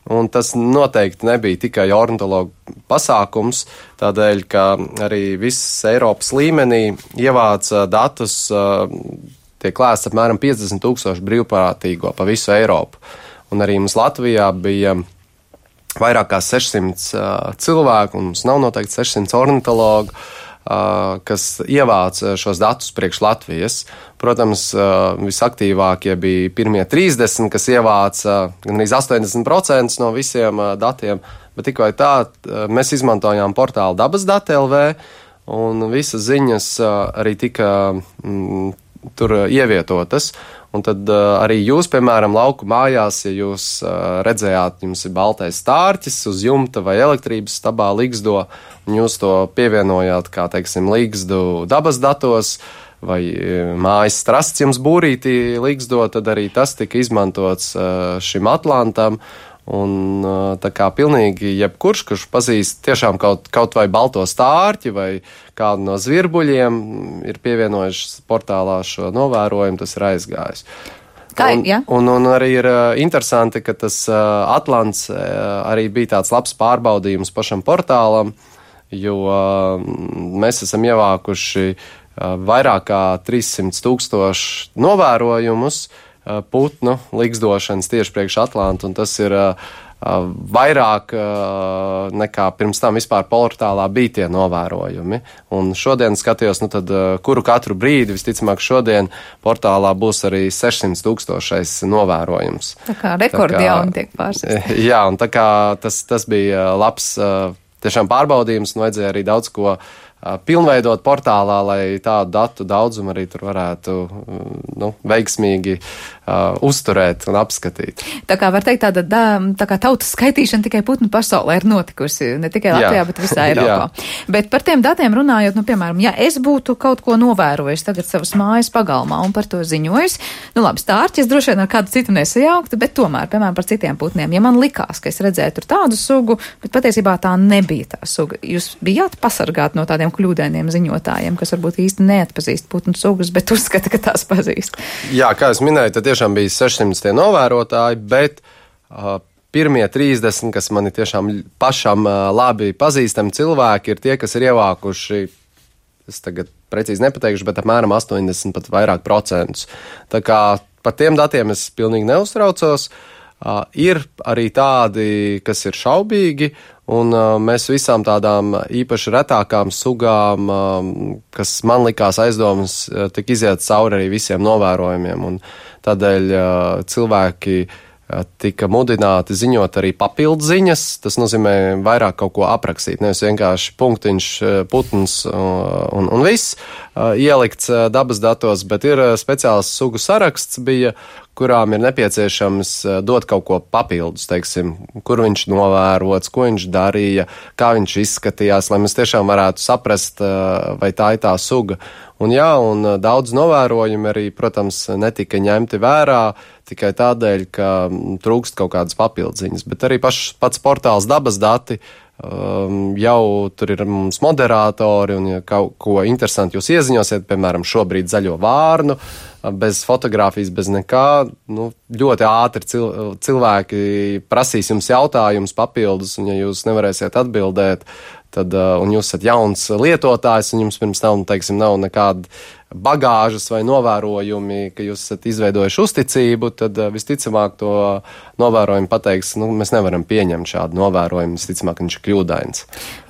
un tas noteikti nebija tikai ornitologu pasākums, tādēļ, ka arī viss Eiropas līmenī ievāca datus, tiek lēsts apmēram piecdesmit tūkstoši brīvprātīgo pa visu Eiropu. Un arī mums Latvijā bija vairāk kā sešsimt uh, cilvēku, un mums nav noteikti sešsimt ornitologu, uh, kas ievāc šos datus priekš Latvijas. Protams, uh, visaktīvākie bija pirmie trīsdesmit, kas ievāca uh, gan arī astoņdesmit procenti no visiem uh, datiem, bet tik vai tā, uh, mēs izmantojām portālu dabas dati L V, un visas ziņas uh, arī tika mm, tur uh, ievietotas. Un tad uh, arī jūs, piemēram, lauku mājās, ja jūs uh, redzējāt, jums ir baltais stārķis uz jumta vai elektrības stabā ligzdo, un jūs to pievienojāt, kā teiksim, ligzdu dabas datos, vai mājas strasts jums būrītī ligzdo, tad arī tas tika izmantots uh, šim atlantam. Un tā kā pilnīgi jebkurš, kurš pazīst tiešām kaut, kaut vai balto stārķi vai kādu no zvirbuļiem, ir pievienojuši portālā šo novērojumu, tas ir aizgājis. Kā, un, ja? un, un arī ir interesanti, ka tas atlants arī bija tāds labs pārbaudījums pašam portālam, jo mēs esam ievākuši vairāk kā trīssimt tūkstoši novērojumus putnu ligzdošanas tieši priekš Atlantu, un tas ir uh, vairāk uh, nekā pirms tam vispār portālā bija tie novērojumi. Un šodien skatījos, nu tad, uh, kuru katru brīdi, visticamāk šodien portālā būs arī sešsimt tūkstošais novērojums. Tā kā rekordi jauni tiek pārstāstīti. Jā, un tā kā tas, tas bija labs uh, tiešām pārbaudījums, un vajadzēja arī daudz ko pilnveidot portālā, lai tādu datu daudzumu arī tur varētu nu, veiksmīgi uh, uzturēt un apskatīt. Tā kā var teikt, tāda tā kā tautas skaitīšana tikai putnu pasaulē ir notikusi, ne tikai Latvijā, jā. Bet visā Eiropā. Bet par tiem datiem runājot, nu, piemēram, ja es būtu kaut ko novērojis tagad savas mājas pagalmā un par to ziņojis, nu labi, stārķis droši vien ar kādu citu nesajauktu, bet tomēr, piemēram, par citiem putniem, ja man likās, ka es redzēju tur tādu sugu, bet patiesībā tā nebija tā suga, jūs bijāt pasargāti no tādiem kļūdainiem ziņotājiem, kas varbūt īsti neatpazīst putnu sugas, bet uzskata, ka tās pazīst. Jā, kā es minēju, tad tiešām bija sešsimt tie novērotāji, bet uh, pirmie trīsdesmit, kas mani tiešām pašam uh, labi pazīstami cilvēki, ir tie, kas ir ievākuši, es tagad precīzi nepateikšu, bet apmēram astoņdesmit pat vairāk procentus. Tā kā par tiem datiem es pilnīgi neuztraucos. Uh, ir arī tādi, kas ir šaubīgi, un uh, mēs visām tādām īpaši retākām sugām, uh, kas man likās aizdomas, uh, tik iziet cauri arī visiem novērojumiem, un tādēļ uh, cilvēki uh, tika mudināti ziņot arī papildu ziņas, tas nozīmē vairāk kaut ko aprakstīt, nevis vienkārši punktiņš, putns uh, un, un viss uh, ielikts uh, dabas datos, bet ir uh, speciāls sugu saraksts bija, kurām ir nepieciešams dot kaut ko papildus, teiksim, kur viņš novērots, ko viņš darīja, kā viņš izskatījās, lai mēs tiešām varētu saprast, vai tā ir tā suga. Un jā, un daudz novērojumu arī, protams, netika ņemti vērā tikai tādēļ, ka trūkst kaut kādas papildziņas, bet arī paš, pats portāls dabas dati, Um, jau tur ir mums moderatori, un ja kaut ko interesanti jūs ieziņosiet, piemēram, šobrīd zaļo vārnu, bez fotogrāfijas, bez nekā, nu, ļoti ātri cil, cilvēki prasīs jums jautājumus papildus, un ja jūs nevarēsiet atbildēt, tad, un jūs esat jauns lietotājs, un jums pirms tam, teiksim, nav nekāda bagāžas vai novērojumi, ka jūs esat izveidojuši uzticību, tad visticamāk to novērojumu pateiks, nu, mēs nevaram pieņemt šādu novērojumu, visticamāk viņš ir kļūdains.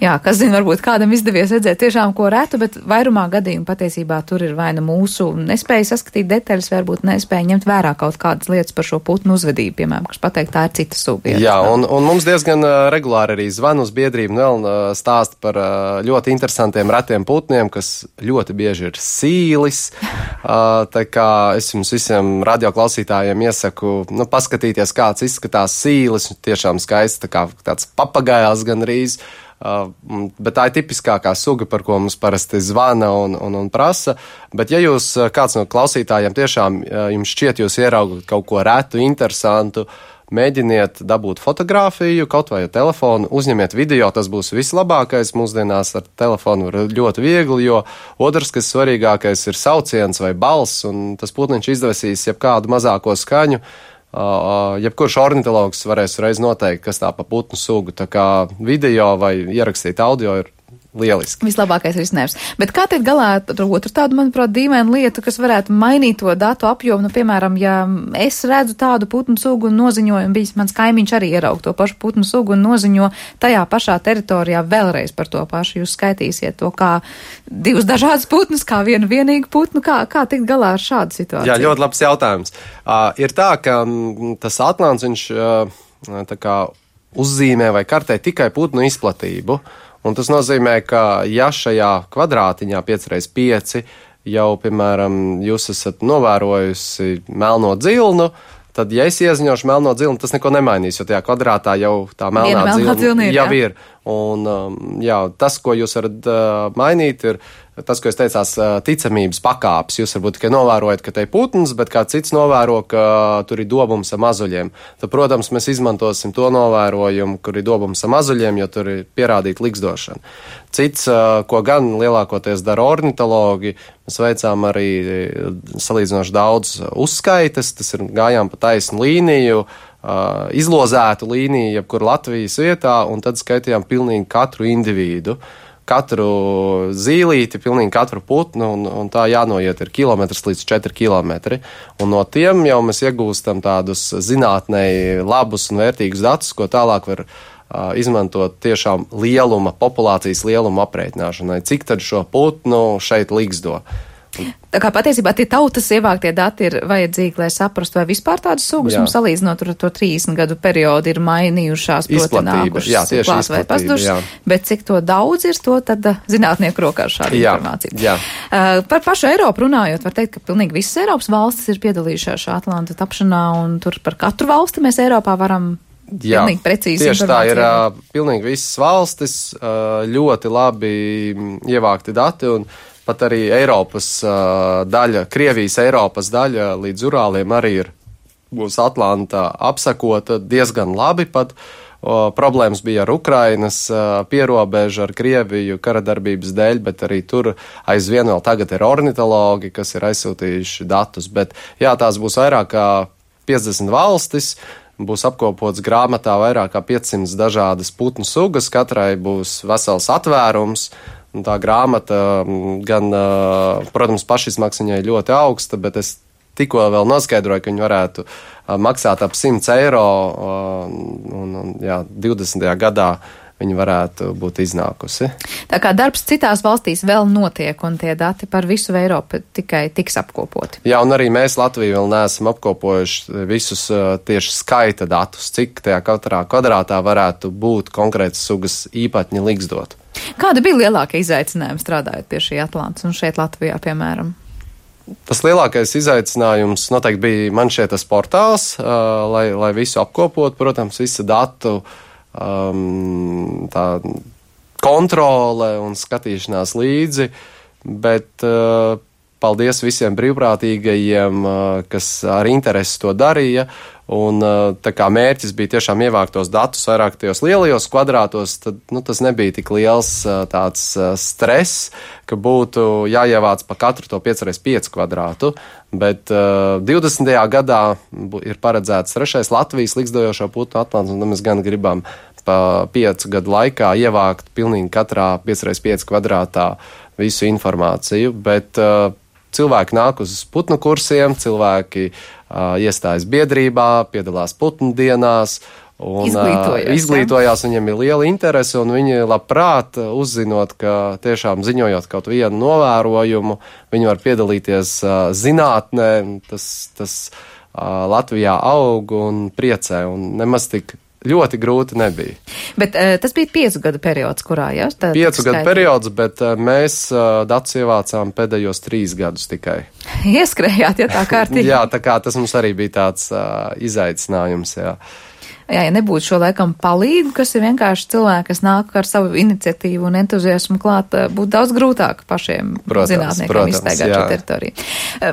Jā, kas zina, varbūt kādam izdevies redzēt tiešām ko retu, bet vairumā gadījumu patiesībā tur ir vai nu mūsu nespēja saskatīt detaļas, varbūt nespēja ņemt vērā kaut kādas lietas par šo putnu uzvedību, piemēram, kas pateikt, tā ir cita suga. Jā, un, un mums diezgan regulāri arī zvan uz biedrību, vēl stāst par ļoti interesantiem retiem putniem, kas ļoti bieži ir sī Tīlis, tā kā es jums visiem radioklausītājiem iesaku, nu, paskatīties, kāds izskatās sīlis, tiešām skaists, tā kā tāds papagails gandrīz, bet tā ir tipiskākā suga, par ko mums parasti zvana un, un, un prasa, bet ja jūs, kāds no klausītājiem tiešām jums šķiet, jūs ieraugat kaut ko retu, interesantu, mēģiniet dabūt fotogrāfiju, kaut vai ar telefonu, uzņemiet video, tas būs vislabākais. Mūsdienās ar telefonu var ļoti viegli, jo otrs, kas svarīgākais, ir sauciens vai balss, un tas putniņš izdevesīs jebkādu mazāko skaņu. Uh, jebkurš ornitologs varēs reiz noteikt, kas tā pa putnu sugu. Tā kā video vai ierakstīt audio ir lieliski. Vislabākais risinājums. Bet kā tiek galā ar otru tādu, manuprāt, dīvainu lietu, kas varētu mainīt to datu apjomu? Nu, piemēram, ja es redzu tādu putnu sugu un noziņoju, un bijis mans kaimiņš arī ieraug to pašu putnu sugu un noziņo tajā pašā teritorijā vēlreiz par to pašu. Jūs skaitīsiet to kā divus dažādus putnus, kā vienu vienīgu putnu. Kā, kā tikt galā ar šādu situāciju? Jā, ļoti labs jautājums. Uh, ir tā, ka m, tas atlants, viņš uh, tā kā uzzīmē vai kartē tikai putnu izplatību. Un tas nozīmē, ka ja šajā kvadrātiņā pieci reiz pieci jau, piemēram, jūs esat novērojusi melno dzilnu, tad, ja es ieziņošu melno dzilnu, tas neko nemainīs, jo tajā kvadrātā jau tā melnā dzilna jau ir. Un, jā, tas, ko jūs varat uh, mainīt, ir tas, ko es teicās, uh, ticamības pakāpes. Jūs varbūt tikai novērojat, ka te ir putns, bet kā cits novēro, ka tur ir dobums ar mazuļiem. Tad, protams, mēs izmantosim to novērojumu, kur ir dobums ar mazuļiem, jo tur ir pierādīta liksdošana. Cits, uh, ko gan lielākoties dara ornitologi, mēs veicām arī salīdzinoši daudz uzskaites, tas ir gājām pa taisnu līniju, Uh, izlozētu līniju, jebkur Latvijas vietā, un tad skaitījām pilnīgi katru individu, katru zīlīti, pilnīgi katru putnu, un, un tā jānoiet ir kilometrs līdz četri kilometri. Un no tiem jau mēs iegūstam tādus zinātnēji labus un vērtīgus datus, ko tālāk var uh, izmantot tiešām lieluma, populācijas lieluma aprēķināšanai. Cik tad šo putnu šeit liksdo? Tā kā patiesībā tie tautas ievāktie dati ir vajadzīgi, lai saprastu, vai vispār tādas sugas mums salīdzinot ar to trīsdesmit gadu periodu ir mainījušās, proti nākušas klāt vai pazudušas, bet cik to daudz ir, to tad zinātnieku rokās šāda jā, informācija. Jā. Uh, par pašu Eiropu runājot, var teikt, ka pilnīgi visas Eiropas valstis ir piedalījušās šā Atlanta tapšanā, un tur par katru valsti mēs Eiropā varam Jā, pilnīgi precīzi tieši tā ir uh, pilnīgi visas valstis, uh, ļoti labi ievākti dati, un pat arī Eiropas uh, daļa, Krievijas Eiropas daļa līdz Urāliem arī ir būs Atlanta apsakota diezgan labi pat. O, problēmas bija ar Ukrainas uh, pierobežu, ar Krieviju karadarbības dēļ, bet arī tur aizvien vēl tagad ir ornitologi, kas ir aizsūtījuši datus. Bet jā, tās būs vairāk kā piecdesmit valstis, būs apkopots grāmatā vairāk kā piecsimt dažādas putnu sugas, katrai būs vesels atvērums. Un tā grāmata gan, protams, pašizmaksa viņai ļoti augsta, bet es tikko vēl noskaidroju, ka viņi varētu maksāt ap simts eiro, un, un jā, divdesmitajā gadā viņi varētu būt iznākusi. Tā kā darbs citās valstīs vēl notiek, un tie dati par visu Eiropu tikai tiks apkopoti. Jā, un arī mēs Latviju vēl neesam apkopojuši visus tieši skaita datus, cik tajā katrā kvadrātā varētu būt konkrētas sugas īpatņi liksdot. Kāda bija lielākie izaicinājumi strādājot pie šī Atlantas un šeit Latvijā, piemēram? Tas lielākais izaicinājums noteikti bija man šeit tas portāls, uh, lai, lai visu apkopot, protams, visu datu um, tā kontrole un skatīšanās līdzi, bet uh, paldies visiem brīvprātīgajiem, uh, kas ar interesi to darīja. Un tā kā mērķis bija tiešām ievākt tos datus vairāk tajos lielajos kvadrātos, tad nu, tas nebija tik liels tāds stress, ka būtu jāievāc pa katru to pieci reiz pieci kvadrātu, bet uh, divdesmitajā gadā ir paredzēts trešais Latvijas liksdojošo putnu atlants, un mēs gan gribam pa piecu gadu laikā ievākt pilnīgi katrā pieci reiz pieci kvadrātā visu informāciju, bet uh, cilvēki nāk uz putnu kursiem, cilvēki uh, iestājas biedrībā, piedalās putnu dienās un izglītojās, uh, izglītojās, viņiem ir liela interese, un viņi labprāt uzzinot, ka tiešām ziņojot kaut vienu novērojumu, viņi var piedalīties uh, zinātnē, tas, tas uh, Latvijā aug un priecē, un nemaz tik ļoti grūti nebija. Bet uh, tas bija piecu gadu periods, kurā, jā? Ja? Piecu gadu periods, bet uh, mēs uh, datus ievācām pēdējos trīs gadus tikai. Ieskrējāt, ja tā kārtīgi. Jā, tā kā tas mums arī bija tāds uh, izaicinājums, jā. Jā, ja nebūtu šo laikam palīgu, kas ir vienkārši cilvēki, kas nāk ar savu iniciatīvu un entuziasmu klāt, būtu daudz grūtāk pašiem protams, zinātniekiem protams, izstaigāt šo teritoriju.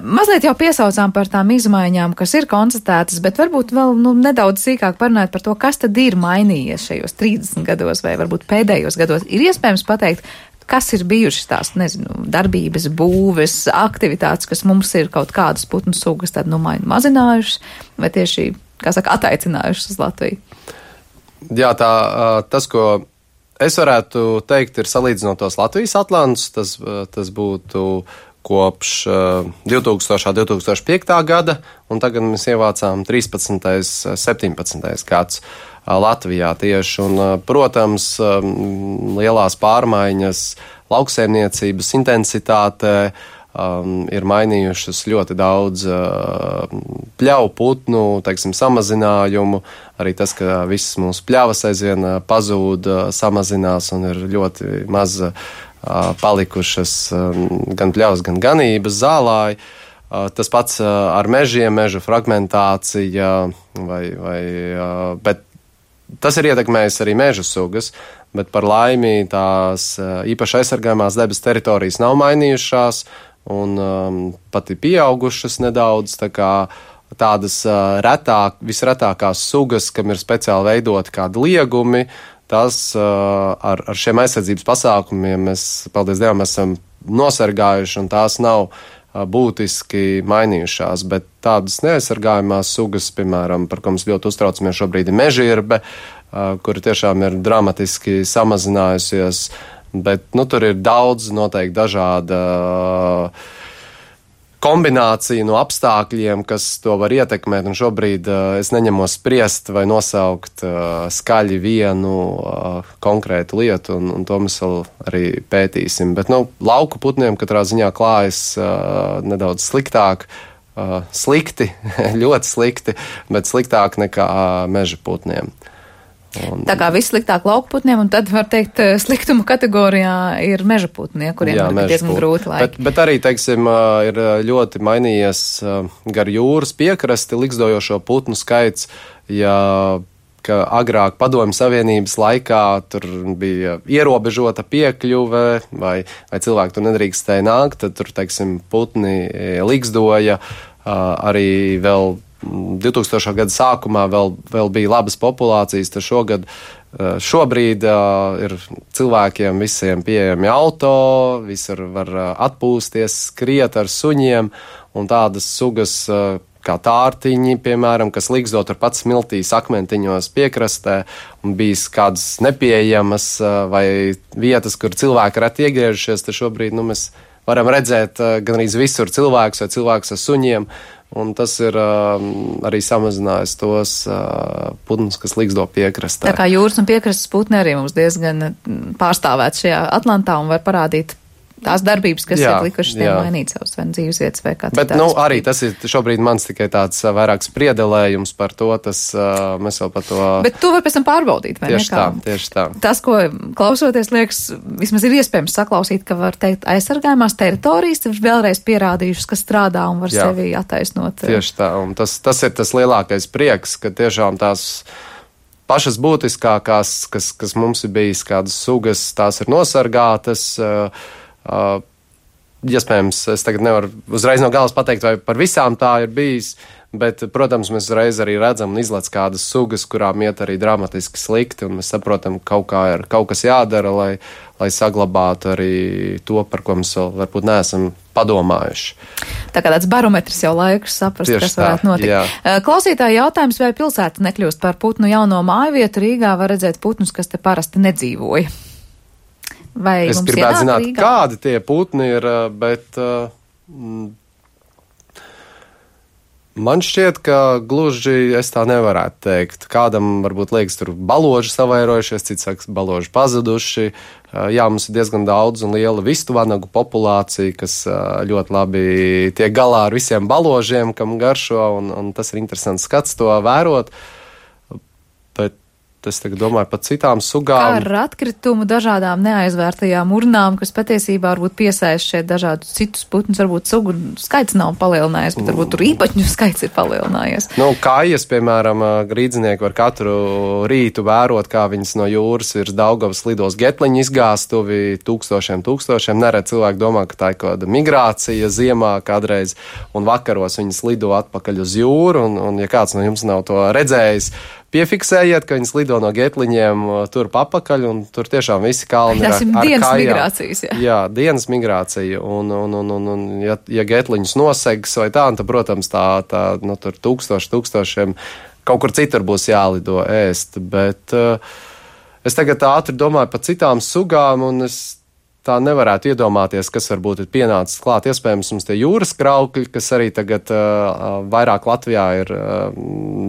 Mazliet jau piesaucām par tām izmaiņām, kas ir konstatētas, bet varbūt vēl nu, nedaudz sīkāk parunāt par to, kas tad ir mainījies šajos trīsdesmit gados vai varbūt pēdējos gados. Ir iespējams pateikt, kas ir bijušas tās, nezinu, darbības, būves, aktivitātes, kas mums ir kaut kādas putnu sugas tad nu mazinājušas vai tieši kā saka, ataicinājušas uz Latviju? Jā, tā, tas, ko es varētu teikt, ir salīdzinot tos Latvijas atlantus, tas, tas būtu kopš divtūkstošā, divtūkstoš piekta gada, un tagad mēs ievācām trīspadsmitais, septiņpadsmitais gads Latvijā tieši. Un, protams, lielās pārmaiņas lauksaimniecības intensitātē um, ir mainījušas ļoti daudz uh, pļauju putnu, teiksim, samazinājumu. Arī tas, ka visas mūsu pļavas aizvien pazūd, samazinās un ir ļoti maz palikušas gan pļavas, gan ganības, zālāji. Tas pats ar mežiem, meža fragmentācija, vai, vai, bet tas ir ietekmējis arī meža sugas, bet par laimi tās īpaši aizsargājumās debes teritorijas nav mainījušās un um, pat ir pieaugušas nedaudz, tā kā tādas uh, retāk, visretākās sugas, kam ir speciāli veidoti kādi liegumi, tas uh, ar, ar šiem aizsardzības pasākumiem mēs, paldies Dievam, esam nosargājuši, un tās nav uh, būtiski mainījušās, bet tādas neaizsargājumās sugas, piemēram, par ko mēs ļoti uztraucamies šobrīd, ir mežirbe, uh, kura tiešām ir dramatiski samazinājusies, bet, nu, tur ir daudz noteikti dažāda uh, kombinācija no apstākļiem, kas to var ietekmēt, un šobrīd uh, es neņemos spriest vai nosaukt uh, skaļi vienu uh, konkrētu lietu, un, un to mēs vēl arī pētīsim. Bet, nu, lauku putniem katrā ziņā klājas uh, nedaudz sliktāk, uh, slikti, ļoti slikti, bet sliktāk nekā uh, meža putniem. Un, tā kā vissliktāk lauku putniem, un tad var teikt, sliktuma kategorijā ir meža putnie, kuriem jā, ir diezgan grūti laiki. Bet, bet arī, teiksim, ir ļoti mainījies gar jūras piekrasti likstojošo putnu skaits, ja ka agrāk Padomju Savienības laikā tur bija ierobežota piekļuve, vai, vai cilvēki tur nedrīkstēja nākt, tad tur, teiksim, putni likstoja arī vēl divtūkstošā gada sākumā vēl, vēl bija labas populācijas, tad šogad, šobrīd uh, ir cilvēkiem visiem pieejami auto, visur var uh, atpūsties, skriet ar suņiem, un tādas sugas uh, kā tārtiņi, piemēram, kas liksto turpat smiltīs akmentiņos piekrastē, un bijis kādas nepieejamas uh, vai vietas, kur cilvēki reti iegriežušies, tad šobrīd, nu, mēs varam redzēt uh, gan arī visur cilvēkus vai cilvēkus ar suņiem, un tas ir uh, arī samazinājis tos uh, putnus, kas liksto piekrastē. Tā kā jūras un piekrastes putni arī mums diezgan pārstāvēt šajā Atlantā un var parādīt tās darbības, kas jā, ir likušas tiem mainīt savus vai dzīves vietas vai kā Bet, nu, arī tas ir šobrīd mans tikai tāds vairāk spriedelējums par to, tas uh, mēs vēl par to... Bet to var pēc tam pārbaudīt, vai tieši nekā? Tā, tieši tā. Tas, ko klausoties, liekas, vismaz ir iespējams saklausīt, ka var teikt aizsargājumās teritorijas, ir vēlreiz pierādījušas, ka strādā un var jā, sevi attaisnot. Tieši tā, un tas, tas ir tas lielākais prieks, ka tiešām tās pašas būtiskākās, kas, kas mums ir bijis kādas sugas, tās ir nosargātas. Uh, Uh, iespējams, es tagad nevaru uzreiz no galas pateikt, vai par visām tā ir bijis, bet, protams, mēs uzreiz arī redzam un izlec kādas sugas, kurām iet arī dramatiski slikti, un mēs saprotam, ka kaut kā ir kaut kas jādara, lai, lai saglabātu arī to, par ko mēs vēl varbūt neesam padomājuši. Tā kā tāds barometrs jau laikus saprast, tieši kas varētu notikt. Jā. Klausītāji jautājums, vai pilsēta nekļūst par putnu jauno māju vietu, Rīgā var redzēt putnus, kas te parasti nedzīvoja. Vai es gribētu zināt, Rīgā? Kādi tie putni ir, bet uh, man šķiet, ka gluži es tā nevarētu teikt. Kādam varbūt liekas, tur baloži savairojušies, cits saka, baloži pazuduši. Uh, jā, mums ir diezgan daudz un liela vistu vanagu populācija, kas uh, ļoti labi tiek galā ar visiem baložiem, kam garšo, un, un tas ir interesants skats to vērot. Bet es tagad domāju par citām sugām. Kā ar atkritumu dažādām neaizvērtajām urnām, kas patiesībā varbūt piesaist šeit dažādus citus putnus, varbūt sugu skaits nav palielinājies, bet varbūt tur īpaņu skaits ir palielinājies. Nu, kājas, piemēram, grīdzinieki var katru rītu vērot, kā viņas no jūras virs Daugavas lidos getliņu izgāstuvi tūkstošiem, tūkstošiem. Neredz cilvēki domā, ka tā ir kāda migrācija ziemā kādreiz, un vakaros viņas lido atpakaļ uz jūru, un, un ja kāds no jums nav to redzējis, piefiksējiet, ka viņas lido no getliņiem tur papakaļ, un tur tiešām visi kalni ir ar, ar dienas kājām. Migrācijas, jā. Jā, dienas migrācija, un, un, un, un, un ja, ja getliņus nosegs vai tā, tad, protams, tā, tā nu, tur tūkstoši, tūkstošiem kaut kur citur būs jālido ēst, bet uh, es tagad ātri domāju par citām sugām, un es tā nevarētu iedomāties, kas varbūt ir pienācis klāt. Iespējams, mums tie jūras kraukļi, kas arī tagad uh, vairāk Latvijā ir uh,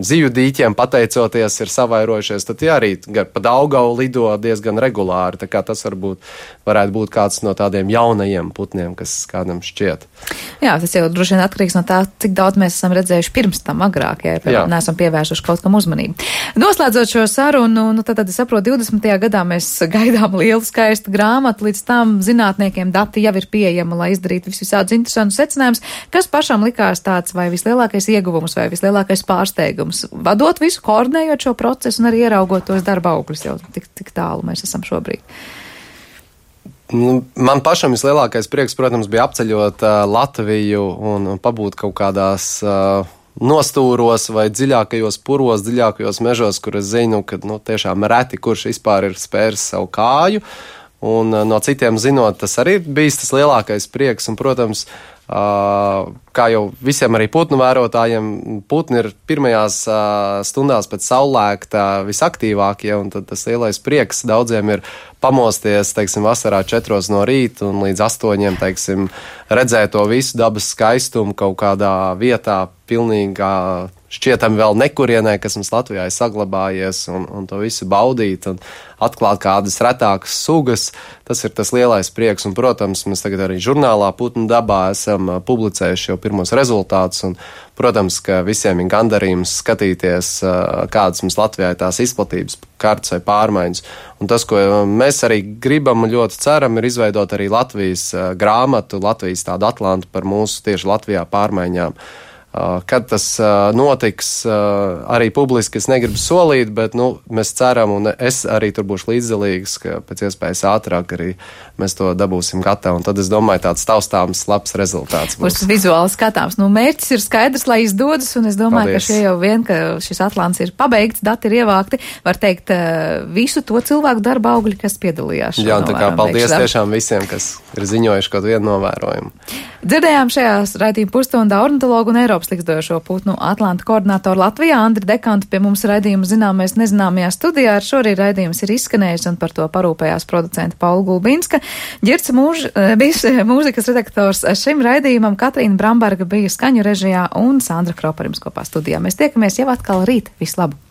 zivju dīķiem pateicoties, ir savairojušies, tad tie arī pa Daugavu lido diezgan regulāri. Tā kā tas varbūt varētu būt kāds no tādiem jaunajiem putniem, kas kādam šķiet. Jā, tas jau droši vien atkarīgs no tā, cik daudz mēs esam redzējuši pirms tam agrāk, ja jā. Neesam pievērsuši kaut kam uzmanību. Noslēdzot šo sarunu, nu tad, tad es saprotu, divdesmitajā gadā mēs gaidām lielu skaistu grāmatu, līdz tam zinātniekiem dati jau ir pieejama, lai izdarītu visādus interesantus secinājumus, kas pašam likās tāds vai vislielākais ieguvums vai vislielākais pārsteigums. Vadot visu, koordinējot šo procesu un arī ieraugot tos darba augļus, jau tik, tik tālu mēs esam šobrīd. Nu, man pašam vislielākais prieks, protams, bija apceļot uh, Latviju un, un pabūt kaut kādās uh, nostūros vai dziļākajos puros, dziļākajos mežos, kur es zinu, ka nu, tiešām reti, kurš vispār ir spēris savu kāju. Un uh, no citiem zinot, tas arī ir bijis tas lielākais prieks. Un, protams, uh, kā jau visiem arī putnu vērotājiem, putni ir pirmajās uh, stundās pēc saulēkta visaktīvākie, un tad tas lielais prieks daudziem ir pamosties, teiksim, vasarā četros no rīta un līdz astoņiem, teiksim, redzēt to visu dabas skaistumu kaut kādā vietā, pilnīgā šķietami vēl nekurienē, kas mums Latvijā ir saglabājies, un, un to visu baudīt un atklāt kādas retākas sugas. Tas ir tas lielais prieks, un, protams, mēs tagad arī žurnālā Putnu dabā esam publicējuši jau pirmos rezultātus, un, protams, ka visiem ir gandarījums skatīties, kādas mums Latvijā ir tās izplatības kartas vai pārmaiņas. Un tas, ko mēs arī gribam un ļoti ceram, ir izveidot arī Latvijas grāmatu, Latvijas tādu atlantu par mūsu tieši Latvijā pārmaiņām. Kad tas notiks, arī publiski es negribu solīt, bet nu, mēs ceram, un es arī tur būšu līdzdalīgs, ka pēc iespējas ātrāk arī mēs to dabūsim gatavu. Un tad es domāju, tāds taustāms, labs rezultāts būs. Būs vizuāli skatāms. Nu, mērķis ir skaidrs, lai izdodas, un es domāju, Paldies. Ka šie jau vien, ka šis atlants ir pabeigts, dati ir ievākti, var teikt visu to cilvēku darba augļi, kas piedalījās. Jā, un tā kā paldies beigšu. Tiešām visiem, kas ir ziņojuši kaut vienu novērojumu. Dzirdējām šajās raidījuma pusstundā ornitologu un Eiropas likstojošo putnu atlantu koordinātoru Latvijā Andri Dekantu pie mums raidījuma Zināmais nezināmajā studijā. Ar šo arī raidījums ir izskanējis un par to parūpējās producenta Paula Gulbinska. Ģirds mūž, bija mūzikas redaktors šim raidījumam, Katrīna Bramberga bija skaņu režijā un Sandra Kropa ar jums kopā studijā. Mēs tiekamies jau atkal rīt. Vislabāk!